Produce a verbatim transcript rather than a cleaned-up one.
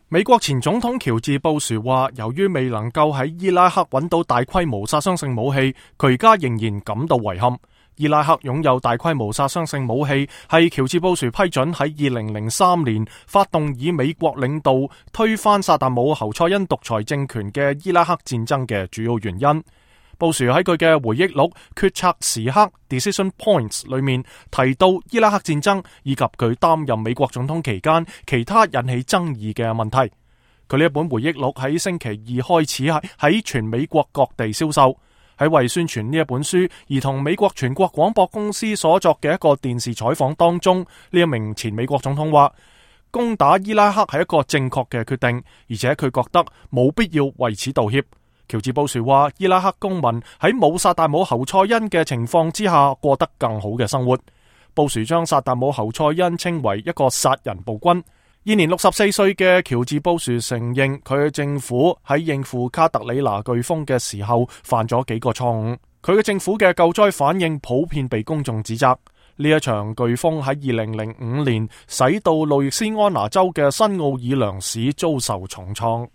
美國前總統喬治布殊話，由於未能夠喺伊拉克揾到大規模殺傷性武器，佢而家仍然感到遺憾。伊拉克擁有大規模殺傷性武器，係喬治布殊批准喺二零零三年發動以美國領導推翻薩達姆侯賽因獨裁政權嘅伊拉克戰爭嘅主要原因。布殊喺佢嘅回憶錄《決策時刻 Decision Points》裏面提到伊拉克戰爭以及佢擔任美國總統期間其他引起爭議嘅問題。佢呢一本回憶錄喺星期二開始喺全美國各地銷售。喺為宣傳呢一本書而同美國全國廣播公司所作嘅一個電視採訪當中，呢一名前美國總統話，攻打伊拉克係一個正確嘅決定，而且佢覺得冇必要為此道歉。喬治布殊話，伊拉克公民喺冇薩達姆侯賽因嘅情況之下過得更好嘅生活。布殊將薩達姆侯賽因稱為一個殺人暴君。現年六十四歲嘅喬治布殊承認，佢嘅政府喺應付卡特里娜颶風嘅時候犯咗幾個錯誤。佢嘅政府嘅救災反應普遍被公眾指責。呢一場颶風喺二零零五年使到路易斯安那州嘅新奧爾良市遭受重創。